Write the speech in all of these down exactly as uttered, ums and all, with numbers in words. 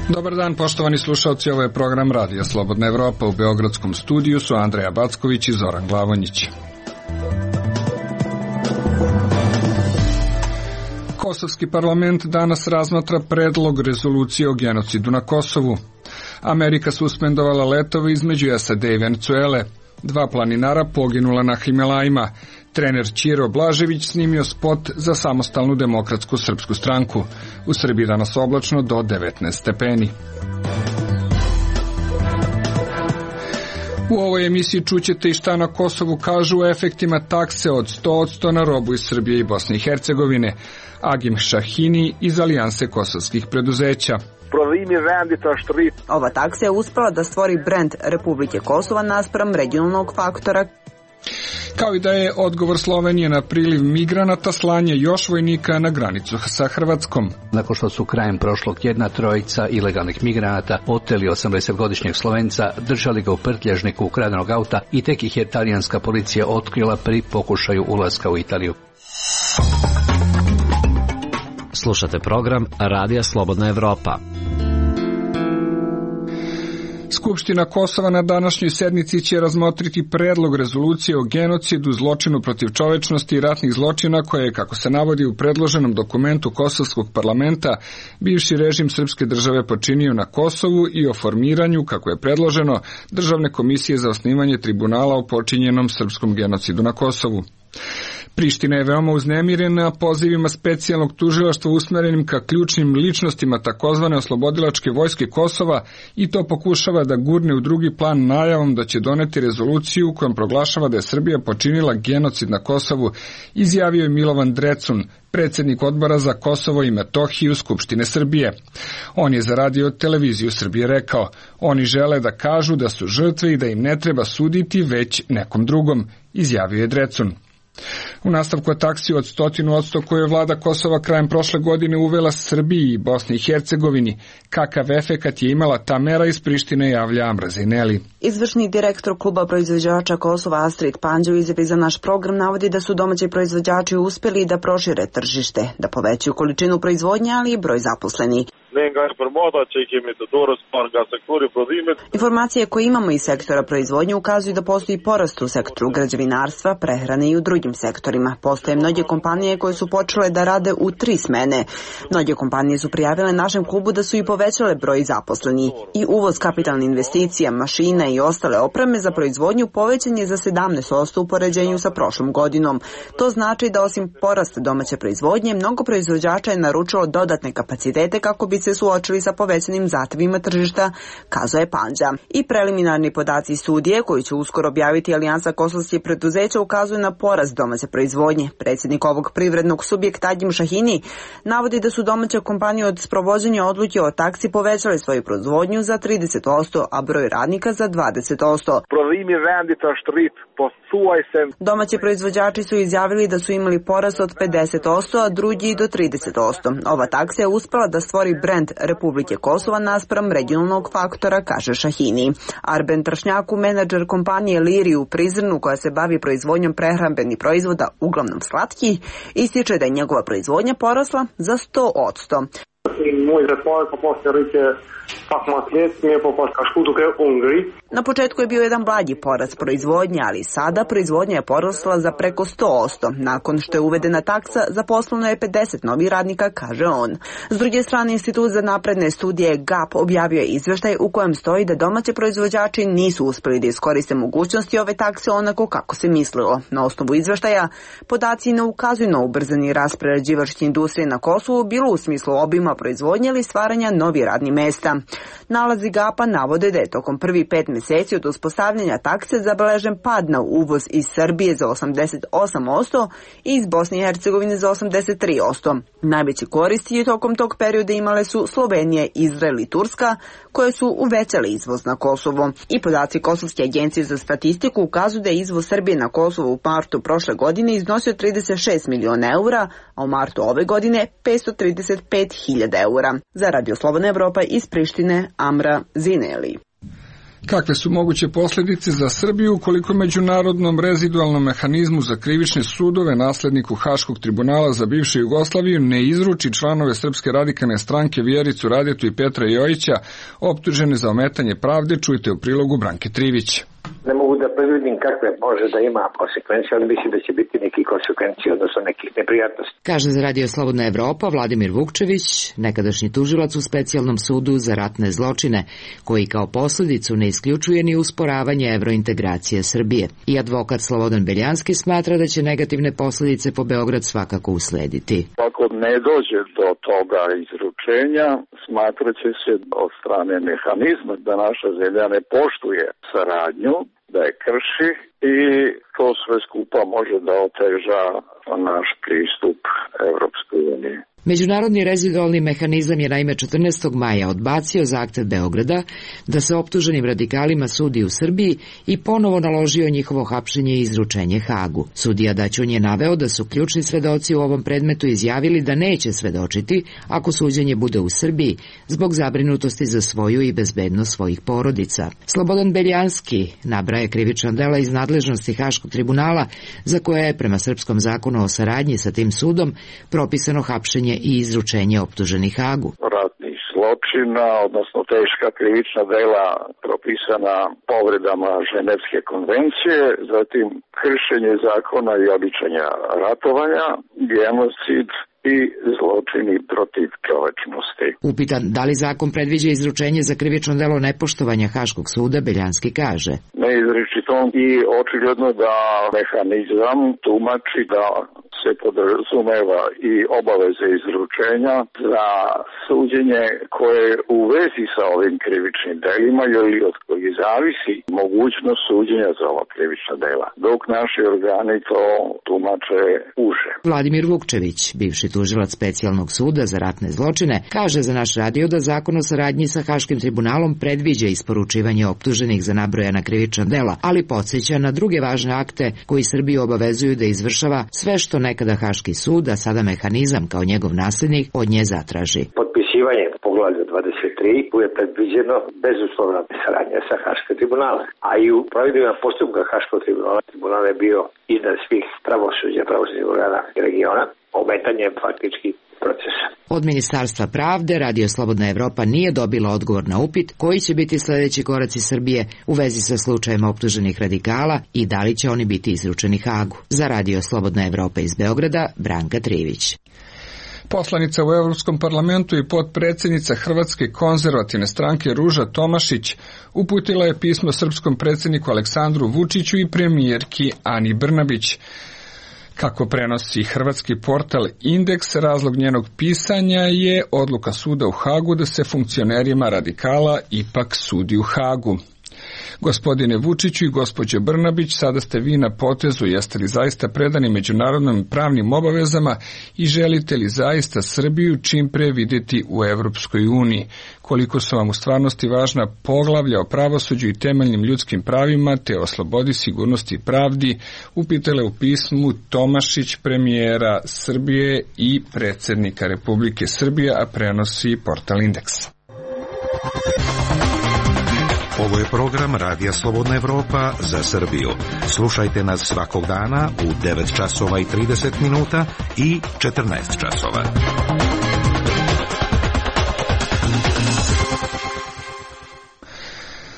Dobar dan, poštovani slušalci, ovo je program Radija Slobodna Evropa. U beogradskom studiju su Andreja Backović i Zoran Glavonjić. Kosovski parlament danas razmatra predlog rezolucije o genocidu na Kosovu. Amerika suspendovala letove između S A D i Venecuele. Dva planinara poginula na Himalajima. Trener Ćiro Blažević snimio spot za Samostalnu demokratsku srpsku stranku. U Srbiji danas oblačno do devetnaest stepeni. U ovoj emisiji čućete i šta na Kosovu kažu o efektima takse od sto posto na robu iz Srbije i Bosne i Hercegovine. Agim Šahini iz Alijanse kosovskih preduzeća. Ova taksa je uspela da stvori brend Republike Kosova naspram regionalnog faktora. Kao i da je odgovor Slovenije na priliv migranata slanje još vojnika na granicu sa Hrvatskom. Nakon što su krajem prošlog tjedna trojica ilegalnih migranata oteli osamdesetgodišnjeg Slovenca, držali ga u prtljažniku ukradenog auta i tek ih je talijanska policija otkrila pri pokušaju ulaska u Italiju. Slušate program Radija Slobodna Evropa. Skupština Kosova na današnjoj sednici će razmotriti predlog rezolucije o genocidu, zločinu protiv čovečnosti i ratnih zločina koje je, kako se navodi u predloženom dokumentu Kosovskog parlamenta, bivši režim srpske države počinio na Kosovu i o formiranju, kako je predloženo, Državne komisije za osnivanje tribunala o počinjenom srpskom genocidu na Kosovu. Priština je veoma uznemirena pozivima specijalnog tužilaštva usmerenim ka ključnim ličnostima takozvane oslobodilačke vojske Kosova i to pokušava da gurne u drugi plan najavom da će doneti rezoluciju kojom proglašava da je Srbija počinila genocid na Kosovu, izjavio je Milovan Drecun, predsjednik odbora za Kosovo i Metohiju Skupštine Srbije. On je za radio televiziju Srbije rekao, oni žele da kažu da su žrtve i da im ne treba suditi već nekom drugom, izjavio je Drecun. U nastavku o taksi od stotinu odsto koju je vlada Kosova krajem prošle godine uvela Srbiji i Bosni i Hercegovini, kakav efekat je imala ta mera iz Prištine, javlja Amra Zineli. Izvršni direktor kluba proizvođača Kosova Astrid Panđa u izjavi za naš program navodi da su domaći proizvođači uspjeli da prošire tržište, da povećaju količinu proizvodnje, ali i broj zaposlenih. Informacije koje imamo iz sektora proizvodnje ukazuju da postoji porast u sektoru građevinarstva, prehrane i u drugim sektorima. Postoje mnoge kompanije koje su počele da rade u tri smene. Mnoge kompanije su prijavile našem klubu da su i povećale broj zaposlenih. I uvoz kapitalne investicija, mašina i ostale opreme za proizvodnju povećan je za sedamnaest posto u poređenju sa prošlom godinom. To znači da osim porasta domaće proizvodnje, mnogo proizvođača je naručilo dodatne kapacitete kako bi se suočili sa povećanim zahtjevima tržišta, kazao je Panđa. I preliminarni podaci studije, koji će uskoro objaviti Alijansa kosovskih preduzeća, ukazuju na porast domaće proizvodnje. Predsjednik ovog privrednog subjekta Agim Šahini navodi da su domaće kompanije od sprovođenja odluke o taksi povećale svoju proizvodnju za trideset posto, a broj radnika za dvadeset posto. Domaći proizvođači su izjavili da su imali porast od pedeset posto, a drugi do trideset posto. Ova taksa je uspela da stvori brend Republike Kosova naspram regionalnog faktora, kaže Šahini. Arben Tršnjaku, menadžer kompanije Liri u Prizrenu koja se bavi proizvodnjom prehrambenih proizvoda, uglavnom slatkih, ističe da je njegova proizvodnja porasla za sto posto. Na početku je bio jedan blagi porast proizvodnje, ali sada proizvodnja je porasla za preko sto posto. Nakon što je uvedena taksa, zaposleno je pedeset novih radnika, kaže on. S druge strane, Institut za napredne studije G A P objavio je izveštaj u kojem stoji da domaći proizvođači nisu uspjeli da iskoriste mogućnosti ove takse onako kako se mislilo. Na osnovu izveštaja, podaci ne ukazuju na ubrzani rast prerađivačke industrije na Kosovu, bilo u smislu obima proizvodnje ili stvaranja novih radnih mesta. Nalazi G A P-a navode da je tokom prvih pet mjeseci od uspostavljanja takse zabeležen pad na uvoz iz Srbije za osamdeset osam posto i iz Bosne i Hercegovine za osamdeset tri posto. Najveći koristi tokom tog perioda imale su Slovenija, Izrael i Turska, koje su uvećale izvoz na Kosovo. I podaci Kosovske agencije za statistiku ukazuju da je izvoz Srbije na Kosovo u martu prošle godine iznosio trideset šest miliona eura, a u martu ove godine petsto trideset pet hiljada eura. Za Radio Slobodna Evropa iz Prištine, Amra Zineli. Kakve su moguće posljedice za Srbiju ukoliko međunarodnom rezidualnom mehanizmu za krivične sudove nasledniku Haškog tribunala za bivšu Jugoslaviju ne izruči članove Srpske radikalne stranke Vjericu Radetu i Petra Jojića optužene za ometanje pravde? Čujte u prilogu Branke Trivić. Ne mogu da predvidim kakve može da ima konsekvencije, ali mislim da će biti neki konsekvencije, odnosno nekih neprijatnosti. Kaže za Radio Slobodna Evropa Vladimir Vukčević, nekadašnji tužilac u Specijalnom sudu za ratne zločine, koji kao posljedicu ne isključuje ni usporavanje evrointegracije Srbije. I advokat Slobodan Beljanski smatra da će negativne posljedice po Beograd svakako uslediti. Ako ne dođe do toga izručenja, smatrat će se od strane mehanizma da naša zemlja ne poštuje saradnju, da je krši i to sve skupa može da oteža naš pristup Evropskoj uniji. Međunarodni rezidualni mehanizam je naime četrnaestog maja odbacio zahtev Beograda da se optuženim radikalima sudi u Srbiji i ponovo naložio njihovo hapšenje i izručenje Hagu. Sudija Daćun je naveo da su ključni svedoci u ovom predmetu izjavili da neće svedočiti ako suđenje bude u Srbiji zbog zabrinutosti za svoju i bezbednost svojih porodica. Slobodan Beljanski nabraje krivična dela iz nadležnosti Haškog tribunala za koje je prema srpskom zakonu o saradnji sa tim sudom propisano hapšenje i izručenje optuženih Hagu. Ratnih zločina, odnosno teška krivična dela propisana povredama Ženevske konvencije, zatim kršenje zakona i običaja ratovanja, genocid i zločini protiv čovečnosti. Upitan da li zakon predviđa izručenje za krivično delo nepoštovanja Haškog suda, Beljanski kaže: Neizričito i očigledno da mehanizam tumači da se podrazumeva i obaveze izručenja za suđenje koje je u vezi sa ovim krivičnim delima ili od kojih zavisi mogućnost suđenja za ova krivična dela, dok naši organi to tumače uže. Vladimir Vukčević, bivši tužilac Specijalnog suda za ratne zločine, kaže za naš radio da zakon o saradnji sa Haškim tribunalom predviđa isporučivanje optuženih za nabrojana krivična dela, ali podsjeća na druge važne akte koji Srbiju obavezuju da izvršava sve što nekada Haški sud, a sada mehanizam kao njegov nasljednik, od nje zatraži. Potpisivanje poglavlja dvadeset tri je predviđeno bezuslovna saradnja sa Haškim tribunalom, a i u provedbenom postupku Haškog tribunala tribunal je bio iznad svih pravosuđa, pravosudnih organa regiona, ometanjem faktički procesa. Od Ministarstva pravde Radio Slobodna Evropa nije dobila odgovor na upit koji će biti sljedeći koraci Srbije u vezi sa slučajem optuženih radikala i da li će oni biti izručeni Hagu. Za Radio Slobodna Evropa iz Beograda, Branka Trivić. Poslanica u Evropskom parlamentu i potpredsjednica Hrvatske konzervativne stranke Ruža Tomašić uputila je pismo srpskom predsjedniku Aleksandru Vučiću i premijerki Ani Brnabić. Kako prenosi hrvatski portal Indeks, razlog njenog pisanja je odluka suda u Hagu da se funkcionerima radikala ipak sudi u Hagu. Gospodine Vučiću i gospođo Brnabić, sada ste vi na potezu, jeste li zaista predani međunarodnim pravnim obavezama i želite li zaista Srbiju čim pre vidjeti u Evropskoj uniji? Koliko su vam u stvarnosti važna poglavlja o pravosuđu i temeljnim ljudskim pravima te o slobodi, sigurnosti i pravdi, upitale u pismu Tomašić, premijera Srbije i predsjednika Republike Srbije, a prenosi portal Indeks. Ovo je program Radija Slobodna Evropa za Srbiju. Slušajte nas svakog dana u devet časova i trideset minuta i četrnaest časova.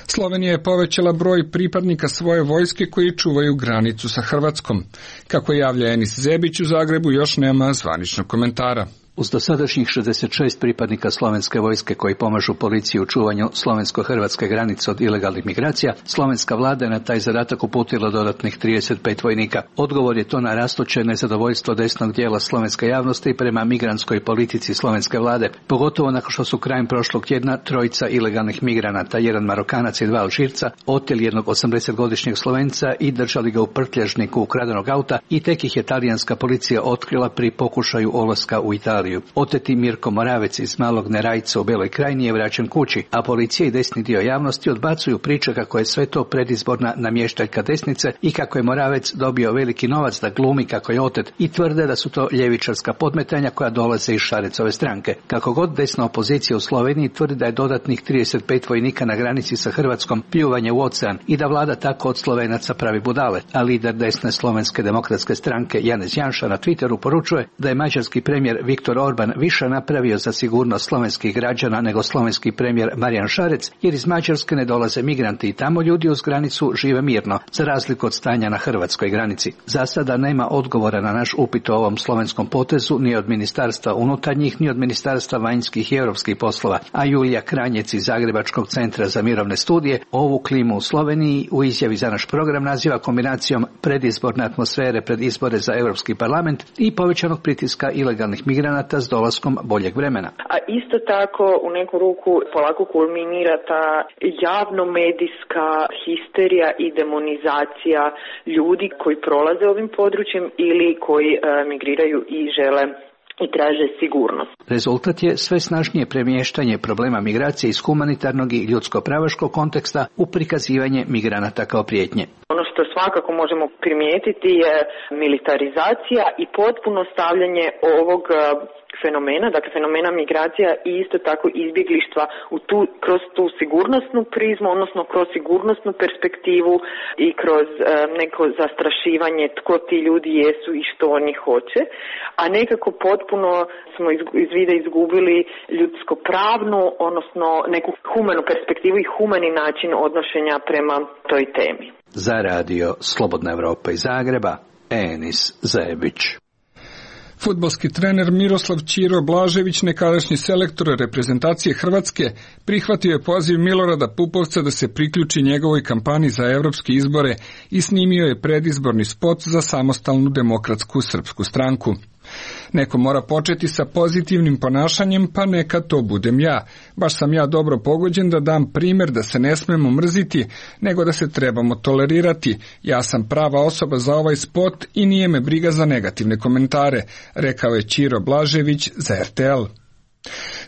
Slovenija je povećala broj pripadnika svoje vojske koji čuvaju granicu sa Hrvatskom. Kako javlja Enis Zebić u Zagrebu, još nema zvaničnog komentara. Uz dosadašnjih šezdeset šest pripadnika slovenske vojske koji pomažu policiji u čuvanju slovensko-hrvatske granice od ilegalnih migracija, slovenska vlada je na taj zadatak uputila dodatnih trideset pet vojnika. Odgovor je to na rastuće nezadovoljstvo desnog dijela slovenske javnosti prema migrantskoj politici slovenske vlade, pogotovo nakon što su krajem prošlog tjedna trojica ilegalnih migranata, jedan Marokanac i dva Alžirca, oteli jednog osamdesetgodišnjeg Slovenca i držali ga u prtljažniku ukradenog auta i tek ih je talijanska policija otkrila pri pokušaju ulaska u Italiju. Italiju. Oteti Mirko Moravec iz Malog Nerajca u Beloj Krajini je vraćen kući, a policija i desni dio javnosti odbacuju priče kako je sve to predizborna namještaljka desnice i kako je Moravec dobio veliki novac da glumi kako je otet i tvrde da su to ljevičarska podmetanja koja dolaze iz Šarecove stranke. Kako god desna opozicija u Sloveniji tvrdi da je dodatnih trideset pet vojnika na granici sa Hrvatskom pljuvanje u ocean i da vlada tako od Slovenaca pravi budale, a lider desne Slovenske demokratske stranke Janez Janša na Twitteru poručuje da je mađarski premijer Viktor Orban više napravio za sigurnost slovenskih građana nego slovenski premijer Marijan Šarec, jer iz Mađarske ne dolaze migranti i tamo ljudi uz granicu žive mirno, za razliku od stanja na hrvatskoj granici. Za sada nema odgovora na naš upit o ovom slovenskom potezu ni od Ministarstva unutarnjih, ni od Ministarstva vanjskih i europskih poslova, a Julija Kranjec iz Zagrebačkog centra za mirovne studije ovu klimu u Sloveniji u izjavi za naš program naziva kombinacijom predizborne atmosfere pred izbore za Europski parlament i povećanog pritiska ilegalnih migranata s dolaskom boljeg vremena. A isto tako u neku ruku polako kulminira ta javno-medijska histerija i demonizacija ljudi koji prolaze ovim područjem ili koji e, migriraju i žele i traže sigurnost. Rezultat je sve snažnije premještanje problema migracije iz humanitarnog i ljudsko-pravaškog konteksta u prikazivanje migranata kao prijetnje. Ono što svakako možemo primijetiti je militarizacija i potpuno stavljanje ovog fenomena, dakle fenomena migracija i isto tako izbjeglištva u tu, kroz tu sigurnosnu prizmu, odnosno kroz sigurnosnu perspektivu i kroz e, neko zastrašivanje tko ti ljudi jesu i što oni hoće, a nekako potpuno smo iz, iz vida izgubili ljudsko-pravnu, odnosno neku humanu perspektivu i humani način odnošenja prema toj temi. Za radio Slobodna Evropa iz Zagreba, Enis Zajebić. Fudbalski trener Miroslav Ćiro Blažević, nekadašnji selektor reprezentacije Hrvatske, prihvatio je poziv Milorada Pupovca da se priključi njegovoj kampanji za evropske izbore i snimio je predizborni spot za Samostalnu demokratsku srpsku stranku. Neko mora početi sa pozitivnim ponašanjem, pa neka to budem ja. Baš sam ja dobro pogođen da dam primjer da se ne smemo mrziti, nego da se trebamo tolerirati. Ja sam prava osoba za ovaj spot i nije me briga za negativne komentare, rekao je Ćiro Blažević za R T L.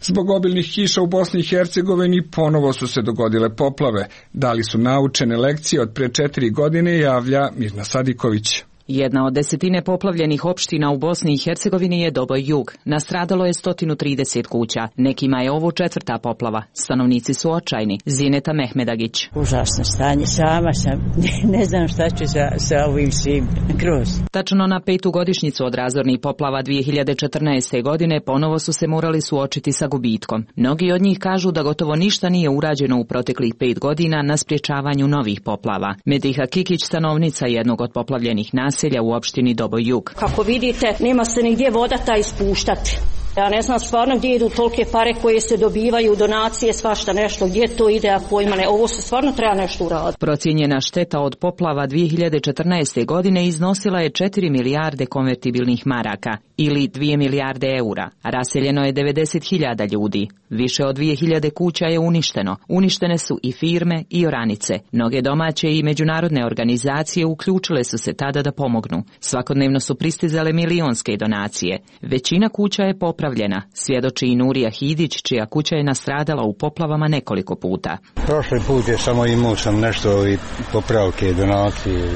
Zbog obilnih kiša u Bosni i Hercegovini ponovo su se dogodile poplave. Da li su naučene lekcije od pre četiri godine, javlja Mirna Sadiković. Jedna od desetine poplavljenih opština u Bosni i Hercegovini je Doboj Jug. Nastradalo je sto trideset kuća. Nekima je ovo četvrta poplava. Stanovnici su očajni. Zineta Mehmedagić. Užasno stanje. Sama sam. Ne znam šta ću sa, sa ovim svim. Kroz. Tačno na petu godišnjicu od razornih poplava dvije hiljade četrnaeste. godine ponovo su se morali suočiti sa gubitkom. Mnogi od njih kažu da gotovo ništa nije urađeno u proteklih pet godina na sprječavanju novih poplava. Mediha Kikić, stanovnica jednog od poplavljenih naselja u opštini Doboj Jug. Kako vidite, nema se nigdje voda ta ispuštati. Ja ne znam stvarno gdje idu tolike pare koje se dobivaju, donacije, svašta nešto, gdje to ide, a pojma ne. Ovo se stvarno treba nešto uraditi. Procijenjena šteta od poplava dvije hiljade četrnaeste. godine iznosila je četiri milijarde konvertibilnih maraka ili dvije milijarde eura. Raseljeno je devedeset hiljada ljudi. Više od dvije hiljade kuća je uništeno. Uništene su i firme i oranice. Mnoge domaće i međunarodne organizacije uključile su se tada da pomognu. Svakodnevno su pristizale milionske donacije. Većina kuća je popravljena, svjedoči i Nurija Hidić, čija kuća je nastradala u poplavama nekoliko puta. Prošli put je samo imao sam nešto i popravke, donacije.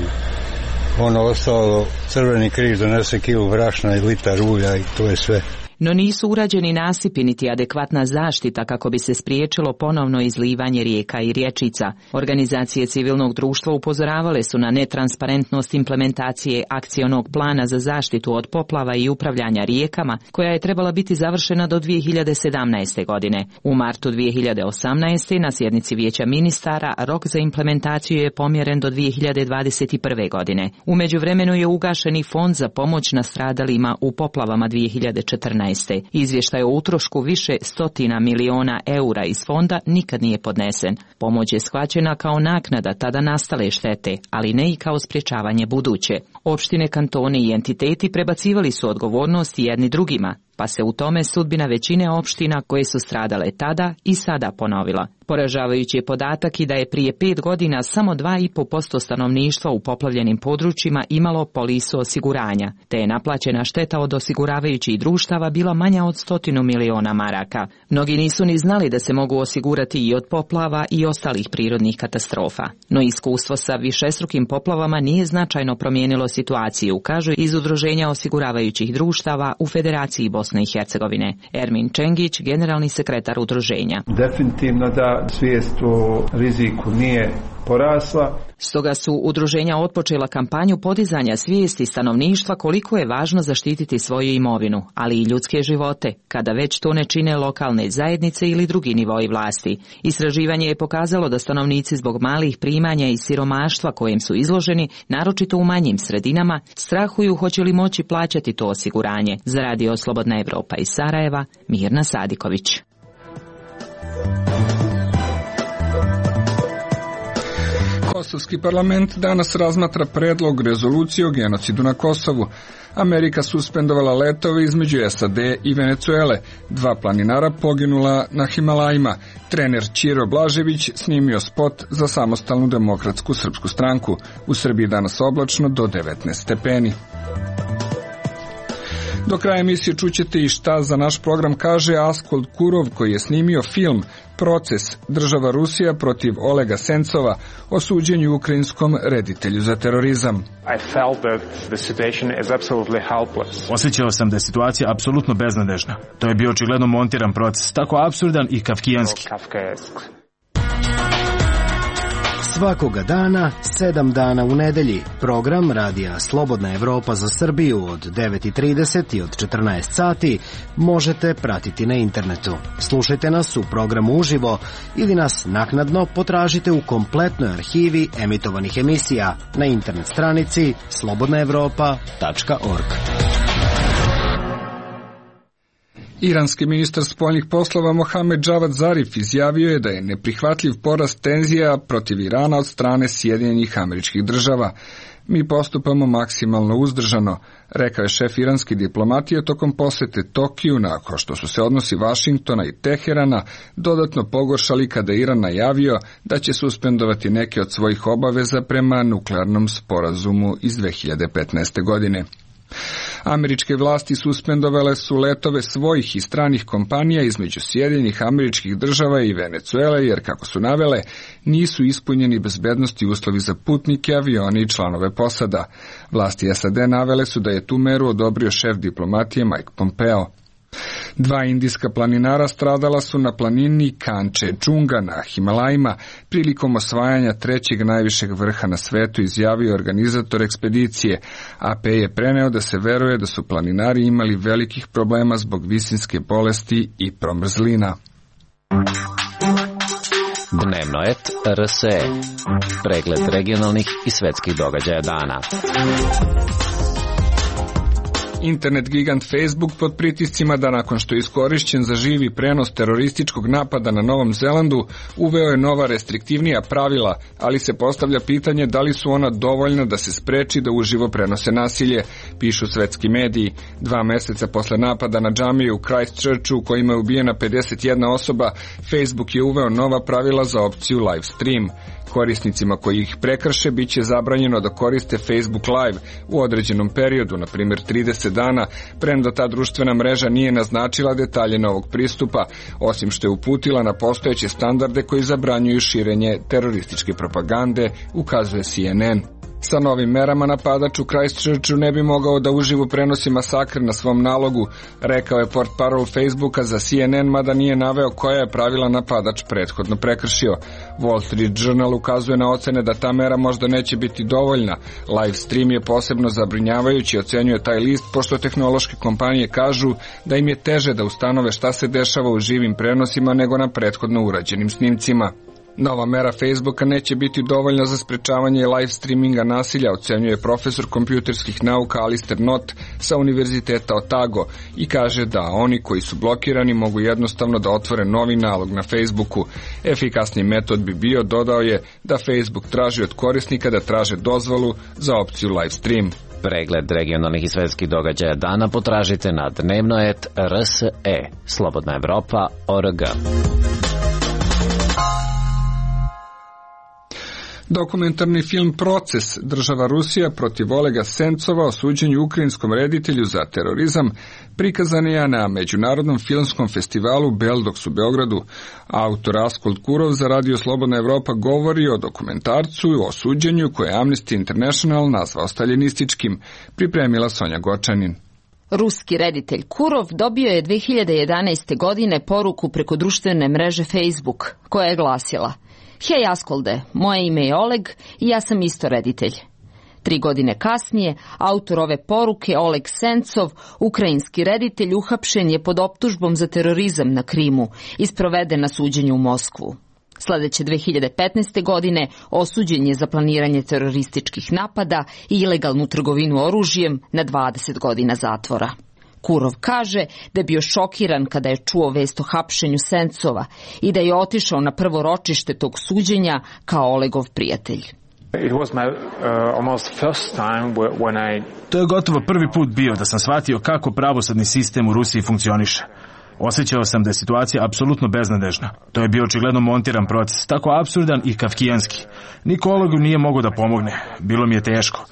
Ono ostalo, Crveni križ donese kilu brašna i litar ulja i to je sve. No nisu urađeni nasipi niti adekvatna zaštita kako bi se spriječilo ponovno izlivanje rijeka i rječica. Organizacije civilnog društva upozoravale su na netransparentnost implementacije akcionog plana za zaštitu od poplava i upravljanja rijekama, koja je trebala biti završena do dvije hiljade sedamnaeste. godine. U martu dvije hiljade osamnaeste. na sjednici Vijeća ministara rok za implementaciju je pomjeren do dvije hiljade dvadeset prve. godine. U međuvremenu je ugašen i fond za pomoć nastradalima u poplavama dvije hiljade četrnaeste. Izvještaj o utrošku više stotina miliona eura iz fonda nikad nije podnesen. Pomoć je shvaćena kao naknada tada nastale štete, ali ne i kao sprječavanje buduće. Opštine, kantoni i entiteti prebacivali su odgovornost jedni drugima. pa se u tome sudbina većine opština koje su stradale tada i sada ponovila. Poražavajući je podatak i da je prije pet godina samo dva i po posto stanovništva u poplavljenim područjima imalo polisu osiguranja, te je naplaćena šteta od osiguravajućih društava bila manja od stotinu miliona maraka. Mnogi nisu ni znali da se mogu osigurati i od poplava i ostalih prirodnih katastrofa. No iskustvo sa višestrukim poplavama nije značajno promijenilo situaciju, kažu iz Udruženja osiguravajućih društava u Federaciji Bosne i Hercegovine. Ermin Čengić, generalni sekretar udruženja. Definitivno da svijest o riziku nije porasla. Stoga su udruženja otpočela kampanju podizanja svijesti stanovništva koliko je važno zaštititi svoju imovinu, ali i ljudske živote, kada već to ne čine lokalne zajednice ili drugi nivoi vlasti. Istraživanje je pokazalo da stanovnici zbog malih primanja i siromaštva kojem su izloženi, naročito u manjim sredinama, strahuju hoće li moći plaćati to osiguranje. Za Radio Slobodna Evropa iz Sarajeva, Mirna Sadiković. Kosovski parlament danas razmatra predlog rezolucije o genocidu na Kosovu. Amerika suspendovala letove između S A D i Venecuele. Dva planinara poginula na Himalajima. Trener Ćiro Blažević snimio spot za Samostalnu demokratsku srpsku stranku. U Srbiji danas oblačno do devetnaest stepeni. Do kraja emisije čućete i šta za naš program kaže Askold Kurov, koji je snimio film Proces, država Rusija protiv Olega Sencova o suđenju ukrajinskom reditelju za terorizam. Osjećao sam da je situacija apsolutno beznadežna. To je bio očigledno montiran proces, tako apsurdan i kafkijanski. Svakoga dana, sedam dana u nedelji, program Radija Slobodna Evropa za Srbiju od devet i trideset i od četrnaest sati možete pratiti na internetu. Slušajte nas u programu uživo ili nas naknadno potražite u kompletnoj arhivi emitovanih emisija na internet stranici slobodna evropa tačka org. Iranski ministar spoljnih poslova Mohamed Javad Zarif izjavio je da je neprihvatljiv porast tenzija protiv Irana od strane Sjedinjenih Američkih Država. Mi postupamo maksimalno uzdržano, rekao je šef iranske diplomatije tokom posete Tokiju, nakon što su se odnosi Vašingtona i Teherana dodatno pogoršali kada je Iran najavio da će suspendovati neke od svojih obaveza prema nuklearnom sporazumu iz dve hiljade petnaeste. godine. Američke vlasti suspendovale su letove svojih i stranih kompanija između Sjedinjenih Američkih Država i Venecuele, jer, kako su navele, nisu ispunjeni bezbednosti uslovi za putnike, avione i članove posada. Vlasti S A D navele su da je tu meru odobrio šef diplomatije Mike Pompeo. Dva indijska planinara stradala su na planini Kančedžunga na Himalajima prilikom osvajanja trećeg najvišeg vrha na svetu, izjavio organizator ekspedicije. A P je preneo da se veruje da su planinari imali velikih problema zbog visinske bolesti i promrzlina. Dnevnoet R S E. Pregled regionalnih i svetskih događaja dana. Internet gigant Facebook pod pritiscima da nakon što je iskorišćen za živi prenos terorističkog napada na Novom Zelandu, uveo je nova restriktivnija pravila, ali se postavlja pitanje da li su ona dovoljna da se spreči da uživo prenose nasilje, pišu svetski mediji. Dva meseca posle napada na džamiju u Christchurchu, u kojima je ubijena pedeset jedna osoba, Facebook je uveo nova pravila za opciju live stream. Korisnicima koji ih prekrše bit će zabranjeno da koriste Facebook Live u određenom periodu, na primjer trideset dana, premda ta društvena mreža nije naznačila detalje novog pristupa, osim što je uputila na postojeće standarde koji zabranjuju širenje terorističke propagande, ukazuje C N N. Sa novim merama napadač u Christchurchu ne bi mogao da uživo prenosi masakr na svom nalogu, rekao je portparol Facebooka za C N N, mada nije naveo koja je pravila napadač prethodno prekršio. Wall Street Journal ukazuje na ocene da ta mera možda neće biti dovoljna. Live stream je posebno zabrinjavajući, ocenjuje taj list, pošto tehnološke kompanije kažu da im je teže da ustanove šta se dešava u živim prenosima nego na prethodno urađenim snimcima. Nova mera Facebooka neće biti dovoljna za sprečavanje live streaminga nasilja, ocenjuje profesor kompjuterskih nauka Alistair Knott sa Univerziteta Otago i kaže da oni koji su blokirani mogu jednostavno da otvore novi nalog na Facebooku. Efikasni metod bi bio, dodao je, da Facebook traži od korisnika da traže dozvolu za opciju live stream. Pregled regionalnih i svetskih događaja dana potražite na dnevnoet R S E, Slobodna Evropa, O R G. Dokumentarni film Proces, država Rusija protiv Olega Sencova o suđenju ukrajinskom reditelju za terorizam, prikazan je na Međunarodnom filmskom festivalu Beldox u Beogradu. Autor Askold Kurov za Radio Slobodna Evropa govori o dokumentarcu i o suđenju koje je Amnesty International nazvao staljinističkim, pripremila Sonja Gočanin. Ruski reditelj Kurov dobio je dve hiljade jedanaeste. godine poruku preko društvene mreže Facebook, koja je glasila: Hej Askolde, moje ime je Oleg i ja sam isto reditelj. Tri godine kasnije, autor ove poruke, Oleg Sencov, ukrajinski reditelj, uhapšen je pod optužbom za terorizam na Krimu i sproveden na suđenju u Moskvu. Sledeće dve hiljade petnaeste. godine osuđen je za planiranje terorističkih napada i ilegalnu trgovinu oružjem na dvadeset godina zatvora. Kurov kaže da je bio šokiran kada je čuo vest o hapšenju Sencova i da je otišao na prvo ročište tog suđenja kao Olegov prijatelj. It was my, uh, almost first time when I... To je gotovo prvi put bio da sam shvatio kako pravosudni sistem u Rusiji funkcioniše. Osjećao sam da je situacija apsolutno beznadežna. To je bio očigledno montiran proces, tako apsurdan i kafkijanski. Niko Olegu nije mogao da pomogne. Bilo mi je teško.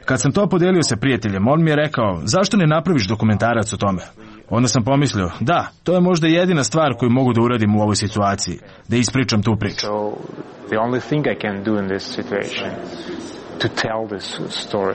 Kad sam to podelio sa prijateljem, on mi je rekao: zašto ne napraviš dokumentarac o tome? Onda sam pomislio: da, to je možda jedina stvar koju mogu da uradim u ovoj situaciji, da ispričam tu priču. So, the only thing I can do in this situation, to tell this story.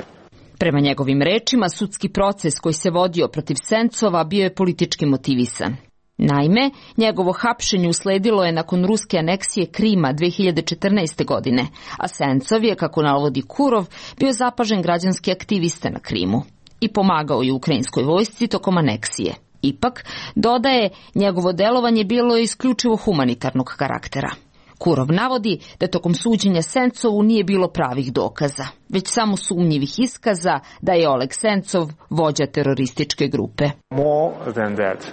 Prema njegovim rečima, sudski proces koji se vodio protiv Sencova bio je politički motivisan. Naime, njegovo hapšenje usledilo je nakon ruske aneksije Krima dve hiljade četrnaeste. godine, a Sencov je, kako navodi Kurov, bio zapažen građanski aktivista na Krimu i pomagao je ukrajinskoj vojsci tokom aneksije. Ipak, dodaje, njegovo delovanje bilo je isključivo humanitarnog karaktera. Kurov navodi da tokom suđenja Sencovu nije bilo pravih dokaza, već samo sumnjivih iskaza da je Oleg Sencov vođa terorističke grupe.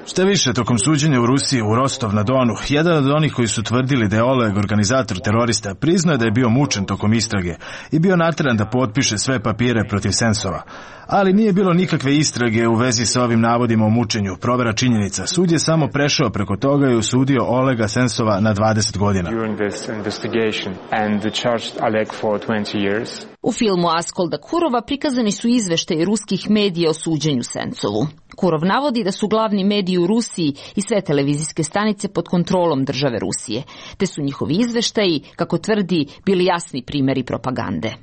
Šta više, tokom suđenja u Rusiji u Rostov na Donu, jedan od onih koji su tvrdili da je Oleg organizator terorista priznao da je bio mučen tokom istrage i bio nateran da potpiše sve papire protiv Sencova. Ali nije bilo nikakve istrage u vezi sa ovim navodima o mučenju, provera činjenica. Sud je samo prešao preko toga i osudio Olega Sencova na dvadeset godina. U filmu Askolda Kurova prikazani su izveštaji ruskih medija o suđenju Sencovu. Kurov navodi da su glavni mediji u Rusiji i sve televizijske stanice pod kontrolom države Rusije, te su njihovi izveštaji, kako tvrdi, bili jasni primjeri propagande.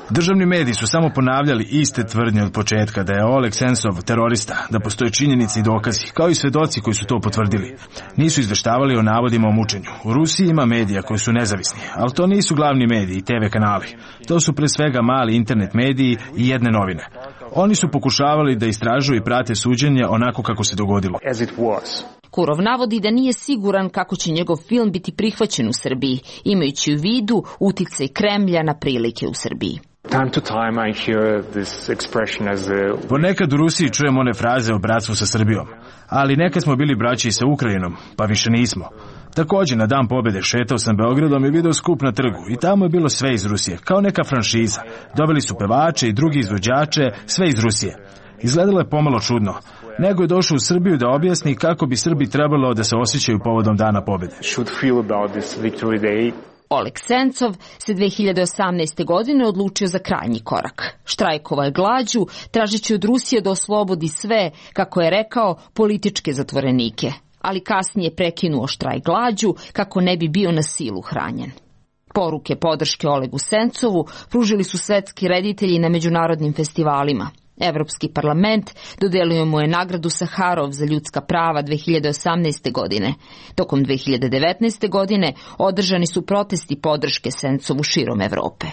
Državni mediji su samo ponavljali iste tvrdnje od početka, da je Oleg Sencov terorista, da postoje činjenice i dokazi, kao i svedoci koji su to potvrdili. Nisu izveštavali o navodima o mučenju. U Rusiji ima medija koji su nezavisni, ali to nisu glavni mediji i te ve kanali. To su pre svega mali internet mediji i jedne novine. Oni su pokušavali da istražuju i prate suđenje onako kako se dogodilo. Kurov navodi da nije siguran kako će njegov film biti prihvaćen u Srbiji, imajući u vidu uticaj Kremlja na prilike u Srbiji. Time to time I hear this expression as a... Ponekad u Rusiji čujem one fraze o bratstvu sa Srbijom, ali nekad smo bili braći sa Ukrajinom, pa više nismo. Također, na dan pobjede šetao sam Beogradom i video skup na trgu i tamo je bilo sve iz Rusije, kao neka franšiza. Doveli su pevače i drugi izvođače, sve iz Rusije. Izgledalo je pomalo čudno. Nego je došao u Srbiju da objasni kako bi Srbi trebalo da se osjećaju povodom dana pobjede. Oleg Sencov se dve hiljade osamnaeste. godine odlučio za krajnji korak. Štrajkovao je glađu, tražeći od Rusije da oslobodi sve, kako je rekao, političke zatvorenike, ali kasnije prekinuo štrajk glađu kako ne bi bio na silu hranjen. Poruke podrške Olegu Sencovu pružili su svetski reditelji na međunarodnim festivalima. Evropski parlament dodelio mu je nagradu Saharov za ljudska prava dve hiljade osamnaeste. godine. Tokom dve hiljade devetnaeste. godine održani su protesti podrške Sencovu širom Evrope.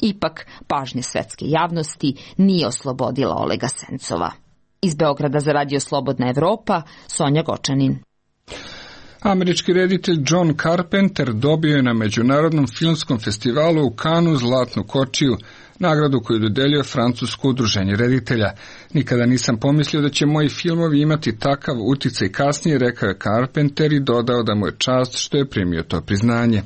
Ipak, pažnja svetske javnosti nije oslobodila Olega Sencova. Iz Beograda za Radio Slobodna Evropa, Sonja Gočanin. Američki reditelj John Carpenter dobio je na Međunarodnom filmskom festivalu u Cannesu Zlatnu kočiju, nagradu koju dodeljuje francusko udruženje reditelja. Nikada nisam pomislio da će moji filmovi imati takav uticaj kasnije, rekao je Carpenter i dodao da mu je čast što je primio to priznanje.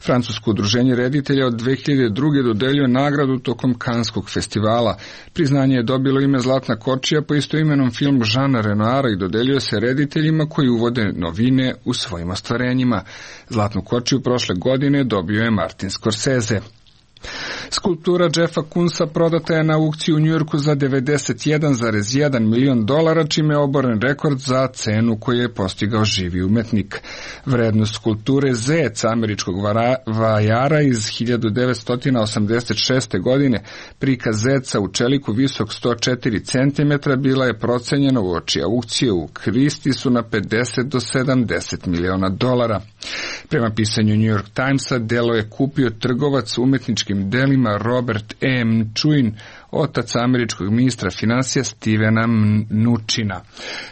Francusko udruženje reditelja od dve hiljade druge dodeljuje nagradu tokom Kanskog festivala. Priznanje je dobilo ime Zlatna kočija po istoimenom filmu Žana Renoira i dodeljuje se rediteljima koji uvode novine u svojim ostvarenjima. Zlatnu kočiju prošle godine dobio je Martin Scorsese. Skulptura Jeffa Koonsa prodata je na aukciji u Njujorku za devedeset jedan zarez jedan milion dolara, čime je oboren rekord za cenu koju je postigao živi umetnik. Vrednost skulpture Zec američkog vajara iz hiljadu devetsto osamdeset šeste. godine, prikaz zeca u čeliku visok sto četiri centimetra, bila je procenjena uoči aukcije u Kristisu na pedeset do sedamdeset miliona dolara. Prema pisanju New York Timesa, delo je kupio trgovac umetničkim delima Robert E. Mnuchin, otac američkog ministra finansija Stevena Mnuchina.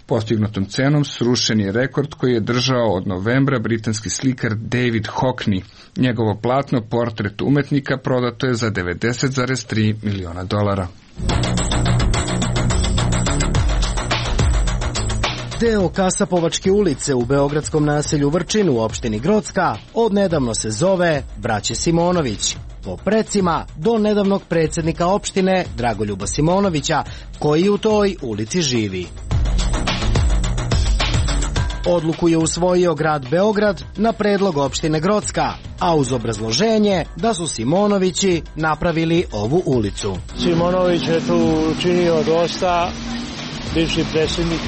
Postignutom cenom srušen je rekord koji je držao od novembra britanski slikar David Hockney. Njegovo platno, portret umetnika, prodato je za devedeset zarez tri miliona dolara. Deo Kasapovačke ulice u beogradskom naselju Vrčin u opštini Grocka odnedavno se zove Braće Simonović, po precima do nedavnog predsjednika opštine Dragoljuba Simonovića, koji u toj ulici živi. Odluku je usvojio grad Beograd na predlog opštine Grocka, a uz obrazloženje da su Simonovići napravili ovu ulicu. Simonović je tu učinio dosta, bivši predsjednik.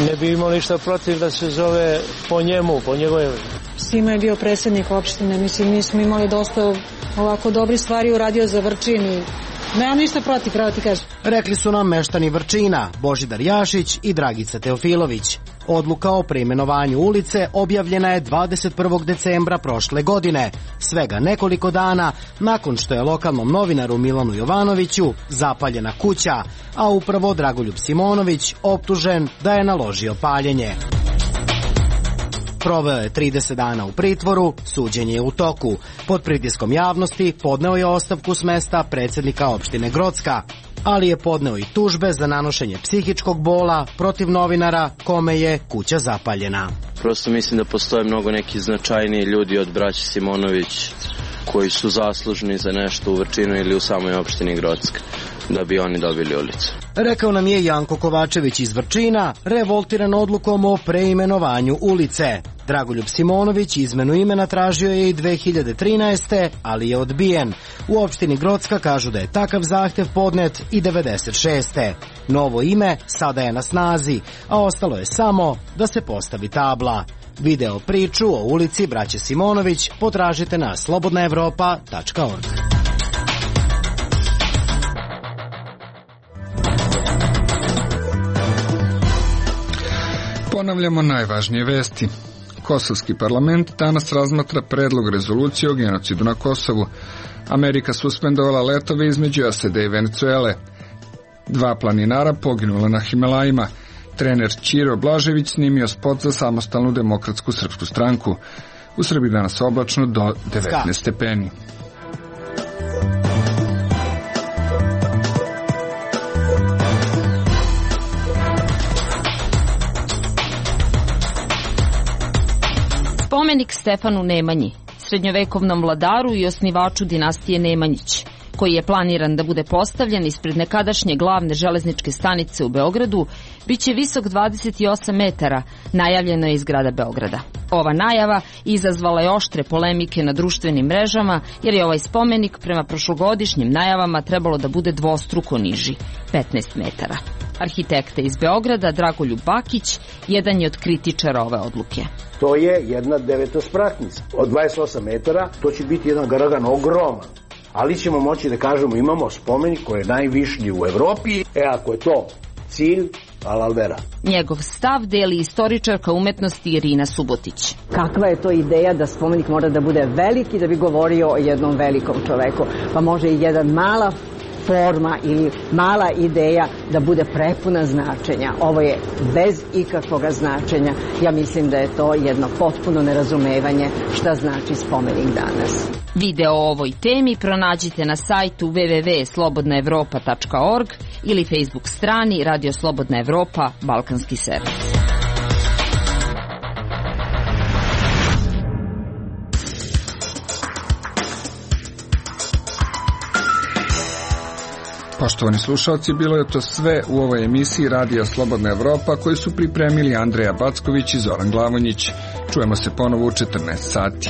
Ne bi imao ništa protiv da se zove po njemu, po njegove. Simo je bio predsjednik opštine, mislim, mi smo imali dosta ovako dobri stvari uradio za Vrčin i nemam ništa protiv, pravo ti kažem. Rekli su nam meštani Vrčina, Božidar Jašić i Dragica Teofilović. Odluka o preimenovanju ulice objavljena je dvadeset prvog decembra prošle godine, svega nekoliko dana nakon što je lokalnom novinaru Milanu Jovanoviću zapaljena kuća, a upravo Dragoljub Simonović optužen da je naložio paljenje. Proveo je trideset dana u pritvoru, suđenje je u toku. Pod pritiskom javnosti podneo je ostavku s mesta predsjednika opštine Grocka, ali je podneo i tužbe za nanošenje psihičkog bola protiv novinara kome je kuća zapaljena. Prosto mislim da postoje mnogo neki značajniji ljudi od braće Simonović koji su zaslužni za nešto u Vrčinu ili u samoj opštini Grocka, da bi oni dobili ulicu. Rekao nam je Janko Kovačević iz Vrčina, revoltiran odlukom o preimenovanju ulice. Dragoljub Simonović izmenu imena tražio je i dve hiljade trinaeste. ali je odbijen. U opštini Grocka kažu da je takav zahtev podnet i devedeset šeste. Novo ime sada je na snazi, a ostalo je samo da se postavi tabla. Video priču o ulici Braće Simonović potražite na slobodna evropa tačka org. Ponavljamo najvažnije vesti. Kosovski parlament danas razmatra predlog rezolucije o genocidu na Kosovu. Amerika suspendovala letove između S A D i Venecuele. Dva planinara poginula na Himalajima. Trener Ćiro Blažević snimio spot za samostalnu demokratsku srpsku stranku. U Srbiji danas oblačno do devetnaest stepeni. Spomenik Stefanu Nemanji, srednjovekovnom vladaru i osnivaču dinastije Nemanjić, koji je planiran da bude postavljen ispred nekadašnje glavne železničke stanice u Beogradu, bit će visok dvadeset osam metara, najavljeno je iz grada Beograda. Ova najava izazvala je oštre polemike na društvenim mrežama, jer je ovaj spomenik prema prošlogodišnjim najavama trebalo da bude dvostruko niži, petnaest metara. Arhitekta iz Beograda, Dragoljub Bakić, jedan je od kritičara ove odluke. To je jedna devetospratnica. Od dvadeset osam metara to će biti jedan garagan ogroman. Ali ćemo moći da kažemo imamo spomenik koji je najvišlji u Evropi. E ako je to cilj, alalvera. Njegov stav deli istoričarka umetnosti Irina Subotić. Kakva je to ideja da spomenik mora da bude veliki da bi govorio o jednom velikom čoveku? Pa može i jedan mala forma ili mala ideja da bude prepuna značenja. Ovo je bez ikakvog značenja. Ja mislim da je to jedno potpuno nerazumevanje šta znači spomenik danas. Video o ovoj temi pronađite na sajtu w w w tačka slobodna evropa tačka org ili Facebook strani Radio Slobodna Evropa Balkanski servis. Poštovani slušalci, bilo je to sve u ovoj emisiji Radija Slobodna Evropa koju su pripremili Andreja Backović i Zoran Glavonjić. Čujemo se ponovo u četrnaest sati.